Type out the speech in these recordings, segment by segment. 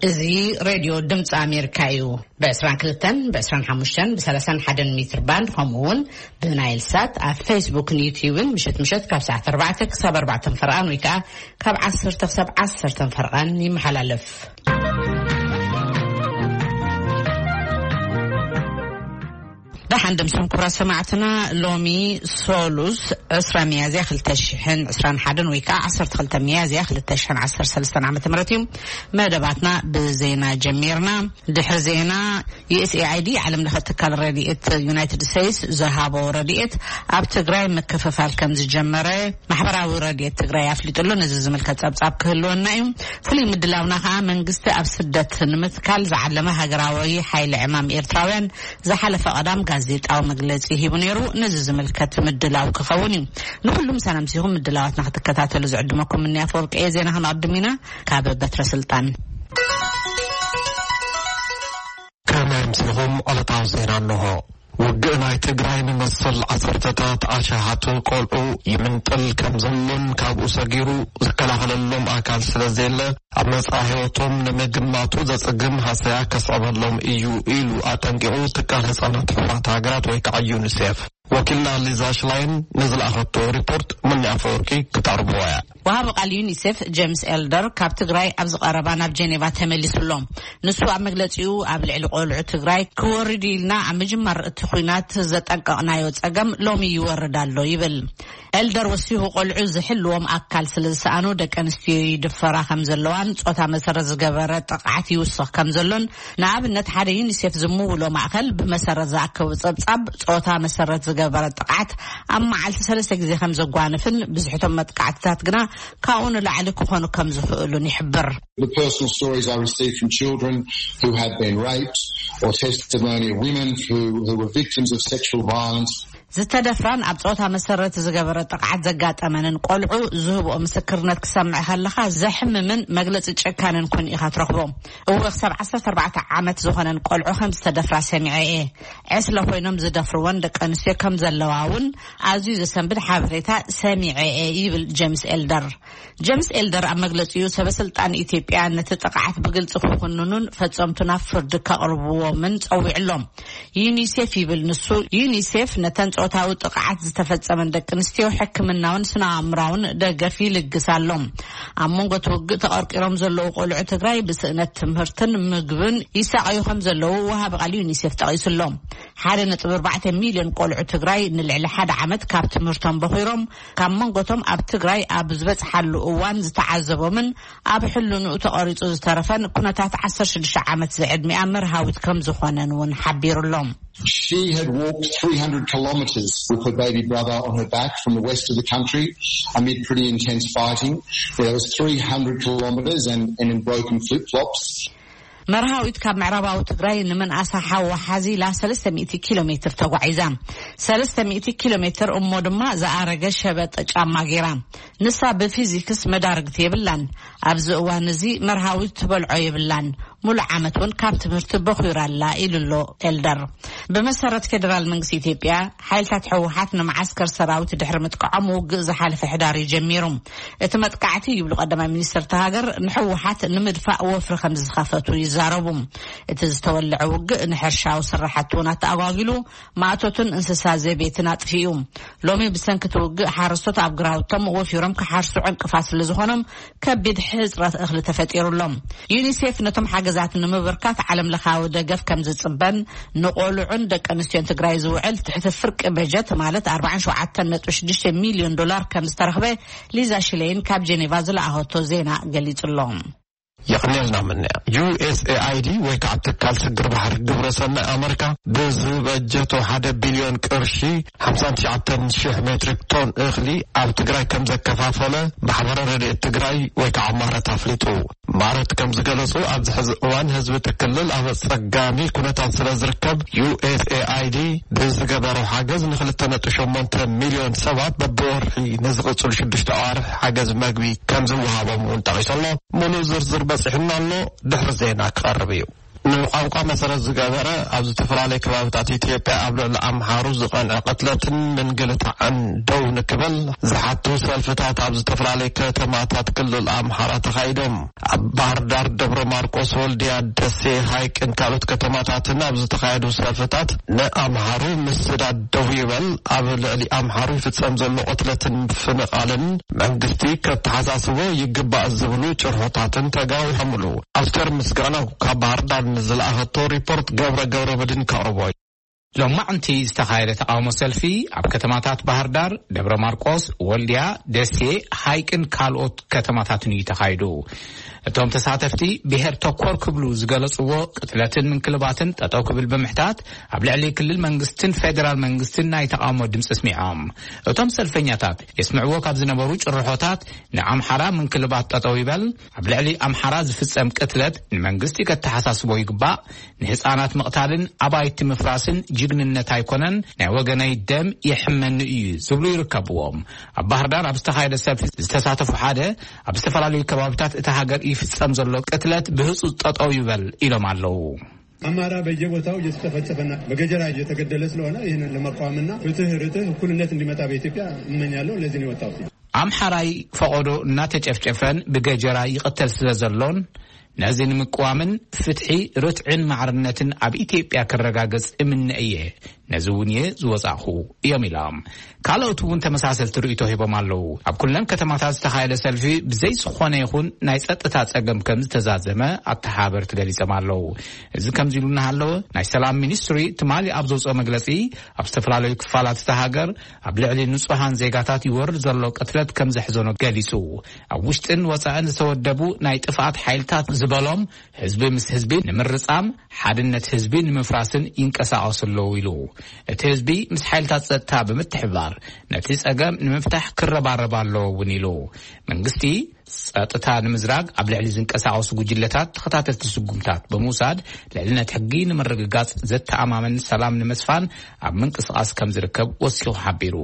እዚ ሬድዮ ድምፂ ኣሜሪካ እዩ። ብ22፣ ብ25፣ ብ31 ሜትር ባንድ፣ ከምኡ እውን ብናይል ሳት ኣብ ፌስቡክን ዩትዩብን ምሸት ምሸት ካብ ሰዓት ኣርባዕተ ክሳብ ኣርባዕተ ፈርቓን ወይ ከዓ ካብ ዓሰርተ ክሳብ ዓሰርተ ፈርቓን ይመሓላለፍ። ደሓን ድምስም ክቡራት ሰማዕትና፣ ሎሚ ሶሉስ ዕስራ ሚያዝያ ክልተ ሽሕን ዕስራን ሓደን ወይ ከዓ ዓሰርተ ክልተ ሚያዝያ ክልተ ሽሕን ዓሰርተ ሰለስተን ዓመተ ምህረት እዩ። መደባትና ብዜና ጀሚርና። ድሕሪ ዜና፣ ዩ ኤስ ኤ ኣይ ዲ ዓለም ለኸ ትካል ረድኤት ዩናይትድ ስቴትስ ዝሃቦ ረድኤት ኣብ ትግራይ ምክፍፋል ከም ዝጀመረ ማሕበራዊ ረድኤት ትግራይ ኣፍሊጡ ኣሎ። ነዚ ዝምልከት ጸብጻብ ክህልወና እዩ። ፍሉይ ምድላውና ከኣ መንግስቲ ኣብ ስደት ንምትካል ዝዓለመ ሃገራዊ ሓይሊ ዕማም ኤርትራውያን ዝሓለፈ ቀዳም ጋዜጣዊ መግለጺ ሂቡ ነይሩ። ነዚ ዝምልከት ምድላው ክኸውን እዩ። ንኹሉ ምሳና ምሲኹም ምድላዋትና ክትከታተሉ ዝዕድመኩም እኒ ኣፈወርቂ እየ። ዜና ክነቕድም ኢና። ካብ በትረ ስልጣን። ከመይ ኣምሲኹም? ዕለታዊ ዜና እንሆ። ውግእ ናይ ትግራይ ንመሰል ዓሰርተታት ኣሽሓት ቆልዑ ይምንጥል ከም ዘሎን ካብኡ ሰጊሩ ዝከላኸለሎም ኣካል ስለ ዘየለ፣ ኣብ መጻኢ ህይወቶም ንምግማቱ ዘጸግም ሃሰያ ከስዕበሎም እዩ ኢሉ ኣጠንቂቑ ትካል ህጻናት ሕቡራት ሃገራት ወይ ከዓ ዩኒሴፍ። ወኪልና ሊዛ ሽላይን ንዝለኣኸቶ ሪፖርት ሙኒ ኣፈወርቂ ክተቕርብዎ እያ። ወሃቢ ቃል ዩኒሴፍ ጄምስ ኤልደር ካብ ትግራይ ኣብ ዝቐረባ ናብ ጄኔቫ ተመሊሱ ኣሎ። ንሱ ኣብ መግለጺኡ፣ ኣብ ልዕሊ ቆልዑ ትግራይ ክወርድ ኢልና ኣብ ምጅማር እቲ ኲናት ዘጠንቀቕናዮ ጸገም ሎሚ ይወርድ ኣሎ ይብል። ኤልደር ወሲኹ፣ ቆልዑ ዝሕልዎም ኣካል ስለ ዝሰኣኑ ደቂ ኣንስትዮ ይድፈራ ከም ዘለዋን ጾታ መሰረት ዝገበረ ጥቕዓት ይውስኽ ከም ዘሎን፣ ንኣብነት ሓደ ዩኒሴፍ ዝምውሎ ማእከል ብመሰረት ዝኣከቡ ጸብጻብ ጾታ መሰረት ዝገበረ ጥቕዓት ኣብ መዓልቲ ሰለስተ ግዜ ከም ዘጓንፍን ብዝሕቶም መጥቃዕትታት ግና ካብኡ ንላዕሊ ክኾኑ ከም ዝኽእሉን ይሕብር። The personal stories I received from children who had been raped or testimony of women who, who were victims of sexual violence. ዝተደፍራን ኣብ ጾታ መሰረት ዝገበረ ጥቕዓት ዘጋጠመንን ቆልዑ ዝህብኦ ምስክርነት ክሰምዕ ከለኻ ዘሕምምን መግለጺ ጨካንን ኮይኑ ኢኻ ትረኽቦ። እወ፣ ክሳብ ዓሰርተ ኣርባዕተ ዓመት ዝኾነን ቆልዑ ከም ዝተደፍራ ሰሚዐ እየ። ዕስለ ኮይኖም ዝደፍርወን ደቂ ኣንስትዮ ከም ዘለዋ እውን ኣዝዩ ዘሰንብድ ሓበሬታ ሰሚዐ እየ ይብል ጄምስ ኤልደር። ጀምስ ኤልደር ኣብ መግለጺኡ፣ ሰበ ስልጣን ኢትዮጵያ ነቲ ጥቕዓት ብግልጺ ክኹንኑን ፈጸምቱ ናብ ፍርዲ ከቕርብዎምን ጸዊዑ ኣሎ። ዩኒሴፍ ይብል ንሱ፣ ዩኒሴፍ ነተን ጾታዊ ጥቕዓት ዝተፈጸመን ደቂ ኣንስትዮ ሕክምናውን ስነ ኣእምራውን ደገፍ ይልግስ ኣሎ። ኣብ መንጎ እቲ ውግእ ተቐርቂሮም ዘለዉ ቆልዑ ትግራይ ብስእነት ትምህርትን ምግብን ይሳቐዩ ከም ዘለዉ ወሃቢ ቃል ዩኒሴፍ ጠቒሱ ኣሎ። ሓደ ነጥቢ ኣርባዕተ ሚልዮን ቆልዑ ትግራይ ንልዕሊ ሓደ ዓመት ካብ ትምህርቶም በኺሮም፣ ካብ መንጎቶም ኣብ ትግራይ ኣብ ዝበጽሓሉ እዋን ዝተዓዘቦምን ኣብ ሕልንኡ ተቐሪጹ ዝተረፈን ኩነታት ዓሰርተ ሽዱሽተ ዓመት ዝዕድሚኣ መርሃዊት ከም ዝኾነን እውን ሓቢሩ ኣሎ። She had walked three hundred kilometres with her baby brother on her back from the west of the country amid pretty intense fighting. There was three hundred kilometres and, and in broken flip-flops. መርሃዊት ካብ ምዕራባዊ ትግራይ ንምንኣሳ ሓወሓዚ ኢላ ሰለስተ ሚእቲ ኪሎ ሜትር ተጓዒዛ። ሰለስተ ሚእቲ ኪሎ ሜትር እሞ ድማ ዝኣረገ ሸበጥ ጫማ ገይራ። ንሳ ብፊዚክስ መዳርግቲ የብላን። ኣብዚ እዋን እዚ መርሃዊት ትበልዖ የብላን። ሙሉእ ዓመት እውን ካብ ትምህርቲ በኹራ ኣላ ኢሉ ኣሎ ኤልደር። ብመሰረት ፌደራል መንግስቲ ኢትዮጵያ፣ ሓይልታት ህወሓት ንመዓስከር ሰራዊት ድሕሪ ምጥቃዖም ውግእ ዝሓለፈ ሕዳር እዩ ጀሚሩ። እቲ መጥቃዕቲ ይብሉ ቀዳማይ ሚኒስትር እታ ሃገር ንህወሓት ንምድፋእ ወፍሪ ከም ዝኸፈቱ ይዛረቡ። እቲ ዝተወለዐ ውግእ ንሕርሻዊ ስራሕቲ እውን ኣተኣጓጊሉ፣ ማእቶትን እንስሳ ዘቤትን ኣጥፊኡ። ሎሚ ብሰንኪ እቲ ውግእ ሓረስቶት ኣብ ግራውቶም ወፊሮም ክሓርሱ ዕንቅፋት ስለ ዝኾኖም ከቢድ ሕጽረት እኽሊ ተፈጢሩ ኣሎ። ዩኒሴፍ ነቶም ሓገዛት ንምብርካት ዓለም ለኻዊ ደገፍ ከም ዝጽበን ንቆልዑን ደቂ ኣንስትዮን ትግራይ ዝውዕል ትሕቲ ፍርቂ በጀት ማለት ኣርባዓን ሸውዓተን ነጥቢ ሽዱሽተ ሚልዮን ዶላር ከም ዝተረኽበ ሊዛ ሽሌይን ካብ ጄኔቫ ዝለኣኸቶ ዜና ገሊጹ ኣሎ። የቕንየልና ምንያ። ዩ ኤስ ኤ ኣይ ዲ ወይ ከዓ ትካል ስግር ባሕሪ ግብረ ሰናይ ኣመሪካ ብዝበጀቶ ሓደ ቢልዮን ቅርሺ ሓምሳን ትሽዓተን ሽሕ ሜትሪክ ቶን እኽሊ ኣብ ትግራይ ከም ዘከፋፈለ ማሕበረ ረድኤት ትግራይ ወይ ከዓ ማረት ኣፍሊጡ። ማረት ከም ዝገለጹ ኣብዚ ሕዚ እዋን ህዝቢ እቲ ክልል ኣብ ኣጸጋሚ ኩነታት ስለ ዝርከብ ዩ ኤስ ኤ ኣይ ዲ ብዝገበሮ ሓገዝ ንክልተ ነጥቢ ሸሞንተ ሚልዮን ሰባት በብወርሒ ንዝቕጽሉ ሽዱሽተ ኣዋርሕ ሓገዝ መግቢ ከም ዝወሃቦም እውን ጠቒሱ ኣሎ። ሙሉእ ዝርዝር በጺሑና ኣሎ፣ ድሕሪ ዜና ክቐርብ እዩ። ንቋንቋ መሰረት ዝገበረ ኣብ ዝተፈላለዩ ከባብታት ኢትዮጵያ ኣብ ልዕሊ ኣምሓሩ ዝቐንዐ ቅትለትን ምንግልታዕን ደው ንክብል ዝሓቱ ሰልፍታት ኣብ ዝተፈላለዩ ከተማታት ክልል ኣምሓራ ተኻይዶም። ኣብ ባህር ዳር፣ ደብረ ማርቆስ፣ ወልዲያ፣ ደሴ፣ ሃይቅን ካልኦት ከተማታትን ኣብ ዝተኻየዱ ሰልፍታት ንኣምሓሩ ምስዳድ ደው ይበል፣ ኣብ ልዕሊ ኣምሓሩ ይፍጸም ዘሎ ቅትለትን ምፍንቓልን መንግስቲ ከተሓሳስቦ ይግባእ ዝብሉ ጭርሖታትን ተጋዊሖምሉ። ኣስቴር ምስጋናው ካብ ባህር ዳር ንዝለኣኸቶ ሪፖርት ገብረ ገብረ መድህን ከቕርቦ እዩ። ሎማዕንቲ ዝተኻየደ ተቓውሞ ሰልፊ ኣብ ከተማታት ባህር ዳር፣ ደብረ ማርቆስ፣ ወልዲያ፣ ደሴ፣ ሃይቅን ካልኦት ከተማታትን እዩ ተኻይዱ። እቶም ተሳተፍቲ ብሄር ተኮር ክብሉ ዝገለጽዎ ቅትለትን ምንክልባትን ጠጠው ክብል ብምሕታት ኣብ ልዕሊ ክልል መንግስትን ፌደራል መንግስትን ናይ ተቓውሞ ድምፂ ኣስሚዖም። እቶም ሰልፈኛታት የስምዕዎ ካብ ዝነበሩ ጭርሖታት ንኣምሓራ ምንክልባት ጠጠው ይበል፣ ኣብ ልዕሊ ኣምሓራ ዝፍጸም ቅትለት ንመንግስቲ ከተሓሳስቦ ይግባእ፣ ንህፃናት ምቕታልን ኣባይቲ ምፍራስን ጅግንነት ኣይኮነን፣ ናይ ወገነይ ደም የሕመኒ እዩ ዝብሉ ይርከብዎም። ኣብ ባህር ዳር ኣብ ዝተኻየደ ሰልፊ ዝተሳተፉ ሓደ ኣብ ዝተፈላለዩ ከባብታት እታ ሃገር ይፍጸም ዘሎ ቅትለት ብህፁፅ ጠጠው ይበል ኢሎም ኣለዉ። አማራ በየቦታው እየተጨፈጨፈና በገጀራ እየተገደለ ስለሆነ ይህንን ለመቃወምና ፍትህ፣ ርትህ፣ እኩልነት እንዲመጣ በኢትዮጵያ እመኛለሁ። ለዚህ ነው የወጣሁት። ኣምሓራይ ፈቐዶ እናተጨፍጨፈን ብገጀራ ይቕተል ስለ ዘሎን ነዚ ንምቅዋምን ፍትሒ፣ ርትዕን ማዕርነትን ኣብ ኢትዮጵያ ክረጋገጽ እምነ እየ። ነዚ እውን እየ ዝወጻእኹ እዮም ኢሎም። ካልኦት እውን ተመሳሰልቲ ርእይቶ ሂቦም ኣለዉ። ኣብ ኩለን ከተማታት ዝተኻየደ ሰልፊ ብዘይ ዝኾነ ይኹን ናይ ጸጥታ ጸገም ከም ዝተዛዘመ ኣተሓበርቲ ገሊጾም ኣለዉ። እዚ ከምዚ ኢሉ እናሃለወ ናይ ሰላም ሚኒስትሪ ትማሊ ኣብ ዘውፅኦ መግለጺ ኣብ ዝተፈላለዩ ክፋላት እታ ሃገር ኣብ ልዕሊ ንጹሃን ዜጋታት ይወርድ ዘሎ ቅትለት ከም ዘሕዘኖ ገሊጹ። ኣብ ውሽጥን ወጻእን ዝተወደቡ ናይ ጥፍኣት ሓይልታት ዝበሎም ህዝቢ ምስ ህዝቢ ንምርጻም፣ ሓድነት ህዝቢ ንምፍራስን ይንቀሳቐሱ ኣለዉ ኢሉ። እቲ ህዝቢ ምስ ሓይልታት ጸጥታ ብምትሕብባር ነቲ ጸገም ንምፍታሕ ክረባረብ ኣለዎ እውን ኢሉ። መንግስቲ ጸጥታ ንምዝራግ ኣብ ልዕሊ ዝንቀሳቐሱ ጉጅለታት ተኸታተልቲ ስጉምታት ብምውሳድ ልዕልነት ሕጊ ንምርግጋጽ ዘተኣማምን ሰላም ንምስፋን ኣብ ምንቅስቓስ ከም ዝርከብ ወሲኹ ሓቢሩ።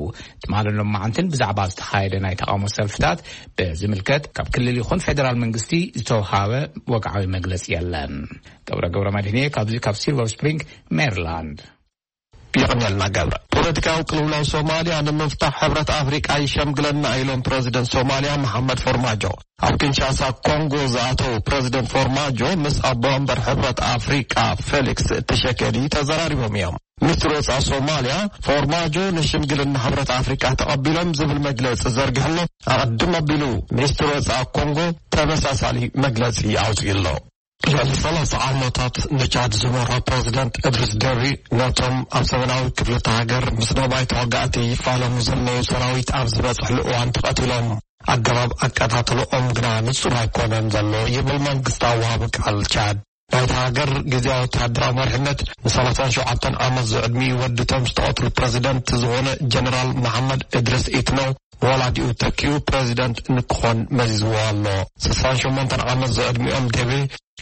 ትማልን ሎማዓንትን ብዛዕባ ዝተኻየደ ናይ ተቓውሞ ሰልፍታት ብዝምልከት ካብ ክልል ይኹን ፌደራል መንግስቲ ዝተውሃበ ወግዓዊ መግለጺ የለን። ገብረ ገብረ መድህን እየ ካብዚ ካብ ሲልቨር ስፕሪንግ ሜሪላንድ። የቐንየልና ገብረ። ፖለቲካዊ ቅልውላው ሶማልያ ንምፍታሕ ሕብረት ኣፍሪቃ ይሸምግለና ኢሎም ፕረዚደንት ሶማልያ መሓመድ ፎርማጆ። ኣብ ኪንሻሳ ኮንጎ ዝኣተው ፕረዚደንት ፎርማጆ ምስ ኣቦ ወንበር ሕብረት ኣፍሪቃ ፌሊክስ ትሸኬዲ ተዘራሪቦም እዮም። ሚኒስትር ወፃኢ ሶማልያ ፎርማጆ ንሽምግልና ሕብረት ኣፍሪቃ ተቐቢሎም ዝብል መግለፂ ዘርጊሕሎ ኣቐድም ኣቢሉ ሚኒስትር ወፃኢ ኮንጎ ተመሳሳሊ መግለፂ ኣውፂኡ ኣሎ። ልዕሊ ሰላሳ ዓመታት ንቻድ ዝመርሖ ፕረዚደንት እድሪስ ደቢ ነቶም ኣብ ሰሜናዊ ክፍሊ እታ ሃገር ምስ ነባይ ተዋጋእቲ ይፋለሙ ዘለዉ ሰራዊት ኣብ ዝበፅሕሉ እዋን ተቐቲሎም። ኣገባብ ኣቀታትልኦም ግና ንጹር ኣይኮነን ዘሎ ይብል መንግስታዊ ወሃቢ ቃል ቻድ። ናይታ ሃገር ግዜያዊ ወተሃደራዊ መሪሕነት ንሰላሳን ሸውዓተን ዓመት ዝዕድሚኡ ወዲ እቶም ዝተቐትሉ ፕረዚደንት ዝኾነ ጀነራል መሓመድ እድሪስ ኢትኖ ንወላዲኡ ተኪኡ ፕረዚደንት ንክኾን መዚዝዎ ኣሎ። ስሳን ሸሞንተን ዓመት ዝዕድሚኦም ደቤ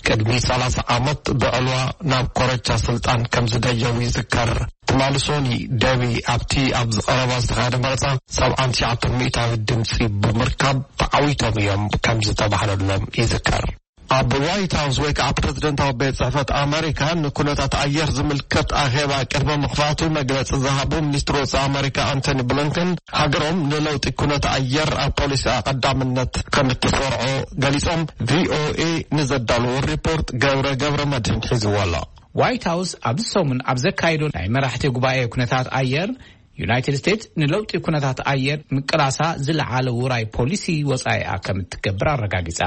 ቅድሚ ሰላሳ ዓመት ብዕልዋ ናብ ኮረቻ ስልጣን ከም ዝደየቡ ይዝከር። ትማሊ ሶኒ ደቢ ኣብቲ ኣብ ዝቐረባ ዝተኻየደ መረጻ ሰብዓን ትሽዓተን ሚእታዊት ድምጺ ብምርካብ ተዓዊቶም እዮም ከም ዝተባህለሎም ይዝከር። ኣብ ዋይት ሃውስ ወይ ከዓ ፕረዚደንታዊ ቤት ጽሕፈት ኣመሪካ ንኩነታት ኣየር ዝምልከት ኣኼባ ቅድሚ ምኽፋቱ መግለጺ ዝሃቡ ሚኒስትር ወጻኢ ኣመሪካ ኣንቶኒ ብሊንከን ሃገሮም ንለውጢ ኩነታት ኣየር ኣብ ፖሊሲኣ ቀዳምነት ከም እትሰርዖ ገሊጾም። ቪኦኤ ንዘዳለዎ ሪፖርት ገብረ ገብረ መድህን ሒዝዎ ኣሎ። ዋይት ሃውስ ኣብዚ ሰሙን ኣብ ዘካየዶ ናይ መራሕቲ ጉባኤ ኩነታት ኣየር ዩናይትድ ስቴትስ ንለውጢ ኩነታት ኣየር ምቅላሳ ዝለዓለ ውራይ ፖሊሲ ወጻኢኣ ከም እትገብር ኣረጋጊጻ።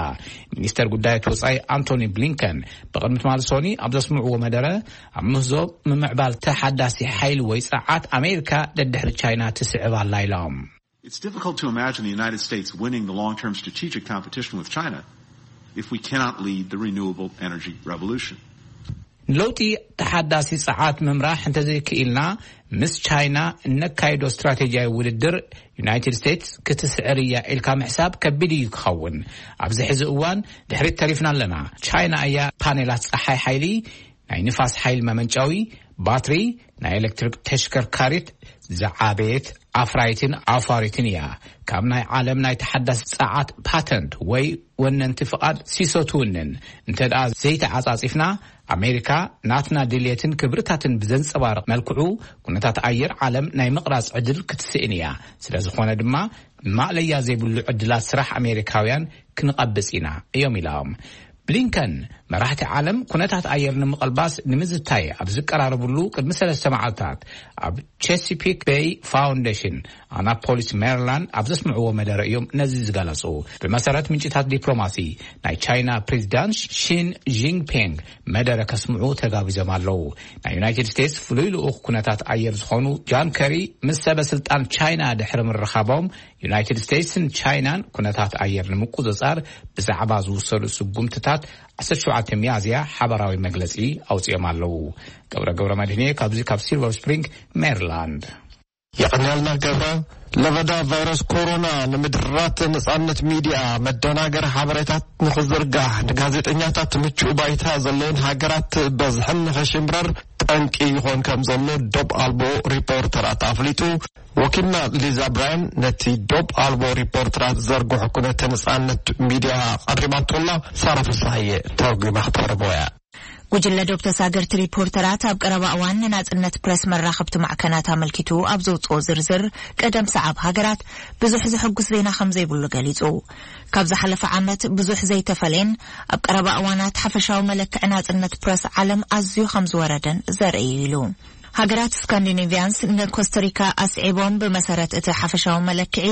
ሚኒስተር ጉዳያት ወጻኢ ኣንቶኒ ብሊንከን ብቕድሚ ትማሊ ሶኒ ኣብ ዘስምዕዎ መደረ ኣብ ምህዞ ምምዕባል ተሓዳሲ ሓይሊ ወይ ጸዓት ኣሜሪካ ደድሕሪ ቻይና ትስዕብ ኣላ ኢሎም። It's difficult to imagine the United States winning the long-term strategic competition with China if we cannot lead the renewable energy revolution. ንለውጢ ተሓዳሲ ጸዓት ምምራሕ እንተዘይክኢልና ምስ ቻይና እነካይዶ ስትራቴጂያዊ ውድድር ዩናይትድ ስቴትስ ክትስዕር እያ ኢልካ ምሕሳብ ከቢድ እዩ ክኸውን። ኣብዚ ሕዚ እዋን ድሕሪት ተሪፍና ኣለና። ቻይና እያ ፓኔላት ጸሓይ ሓይሊ፣ ናይ ንፋስ ሓይሊ መመንጨዊ፣ ባትሪ፣ ናይ ኤሌክትሪክ ተሽከርካሪት ዝዓበየት ኣፍራይትን ኣፋሪትን እያ። ካብ ናይ ዓለም ናይ ተሓዳሲ ጸዓት ፓተንት ወይ ወነንቲ ፍቓድ ሲሶ ትውንን። እንተ ደኣ ዘይተዓጻጺፍና ኣሜሪካ ናትና ድልየትን ክብርታትን ብዘንጸባርቕ መልክዑ፣ ኩነታት ኣየር ዓለም ናይ ምቕራጽ ዕድል ክትስእን እያ። ስለ ዝኾነ ድማ፣ ማእለያ ዘይብሉ ዕድላት ስራሕ ኣሜሪካውያን ክንቐብጽ ኢና እዮም ኢሎም። ብሊንከን፣ መራሕቲ ዓለም ኩነታት ኣየር ንምቕልባስ ንምዝታይ ኣብ ዝቀራረብሉ ቅድሚ ሰለስተ መዓልታት፣ ኣብ ቸሲፒክ ቤይ ፋውንዴሽን ኣናፖሊስ ሜሪላንድ ኣብ ዘስምዕዎ መደረ እዮም ነዚ ዝገለጹ። ብመሰረት ምንጭታት ዲፕሎማሲ፣ ናይ ቻይና ፕሬዚዳንት ሺን ጂንፒንግ መደረ ከስምዑ ተጋቢዞም ኣለዉ። ናይ ዩናይትድ ስቴትስ ፍሉይ ልኡኽ ኩነታት ኣየር ዝኾኑ ጃን ከሪ ምስ ሰበ ስልጣን ቻይና ድሕሪ ምርኻቦም፣ ዩናይትድ ስቴትስን ቻይናን ኩነታት ኣየር ንምቁጽጻር ብዛዕባ ዝውሰዱ ስጉምትታት ዓሰርተ ሸውዓተ ሚያዝያ ሓበራዊ መግለጺ ኣውጺኦም ኣለዉ። ገብረ ገብረ መድህንየ ካብዚ ካብ ሲልቨር ስፕሪንግ ሜሪላንድ። የቐንያልና ገብረ። ለበዳ ቫይረስ ኮሮና ንምድራት ነጻነት ሚድያ፣ መደናገሪ ሓበሬታት ንኽዝርጋሕ፣ ንጋዜጠኛታት ምቹእ ባይታ ዘለውን ሃገራት በዝሕን ንኸሽምረር ጠንቂ ይኾን ከም ዘሎ ዶብ ኣልቦ ሪፖርተራት ኣፍሊጡ። ወኪልና ሊዛ ብራያን ነቲ ዶብ ኣልቦ ሪፖርተራት ዘርግሑ ኩነተ ነጻነት ሚድያ ቀሪባቶላ። ሳራ ፍሳሃየ ተርጉማ ክተቕርቦ እያ። ጉጅለ ዶብ ተሳገርቲ ሪፖርተራት ኣብ ቀረባ እዋን ንናጽነት ፕረስ መራኸብቲ ማዕከናት ኣመልኪቱ ኣብ ዘውጽኦ ዝርዝር፣ ቀደም ሰዓብ ሃገራት ብዙሕ ዘሐጉስ ዜና ከም ዘይብሉ ገሊጹ። ካብ ዝሓለፈ ዓመት ብዙሕ ዘይተፈለየን ኣብ ቀረባ እዋናት ሓፈሻዊ መለክዒ ናጽነት ፕረስ ዓለም ኣዝዩ ከም ዝወረደን ዘርኢ እዩ ኢሉ። ሃገራት ስካንዲኔቪያንስ ንኮስታሪካ ኣስዒቦም ብመሰረት እቲ ሓፈሻዊ መለክዒ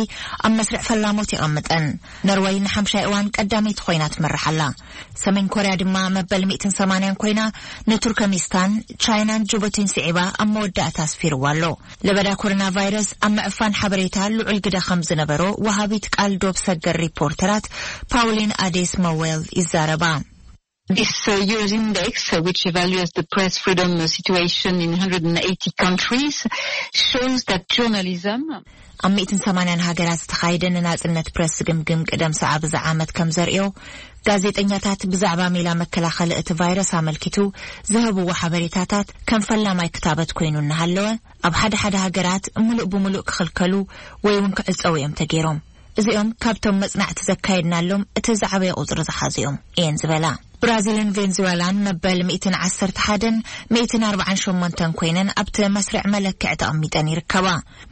ኣብ መስርዕ ፈላሞት የቐምጠን። ነርወይ ንሓምሻይ እዋን ቀዳመይቲ ኮይና ትመርሕ ኣላ። ሰሜን ኮርያ ድማ መበል ሚእትን ሰማንያን ኮይና ንቱርከሚስታን፣ ቻይናን ጅቡቲን ስዒባ ኣብ መወዳእታ ኣስፊርዋ ኣሎ። ለበዳ ኮሮና ቫይረስ ኣብ ምዕፋን ሓበሬታ ልዑል ግደ ከም ዝነበሮ ወሃቢት ቃል ዶብ ሰገር ሪፖርተራት ፓውሊን ኣዴስ መዌል ይዛረባ። This uh, Eures Index, uh, which evaluates the press freedom uh, situation in one hundred eighty countries, shows that journalism ኣብ ሚእትን ሰማንያን ሃገራት ዝተኻየደ ንናጽነት ፕረስ ዝግምግም ቅደም ሰዓብ እዚ ዓመት ከም ዘርእዮ፣ ጋዜጠኛታት ብዛዕባ ሜላ መከላኸሊ እቲ ቫይረስ ኣመልኪቱ ዝህብዎ ሓበሬታታት ከም ፈላማይ ክታበት ኮይኑ እናሃለወ፣ ኣብ ሓደ ሓደ ሃገራት ምሉእ ብምሉእ ክኽልከሉ ወይ እውን ክዕጸዉ እዮም ተገይሮም። እዚኦም ካብቶም መጽናዕቲ ዘካየድናሎም እቲ ዝዓበየ ቁጽሪ ዝሓዙ እዮም እየን ዝበላ። ብራዚልን ቬንዙዌላን መበል ሚእትን ዓሰርተ ሓደን ሚእትን ኣርባዓን ሸሞንተን ኮይነን ኣብቲ መስርዕ መለክዒ ተቐሚጠን ይርከባ።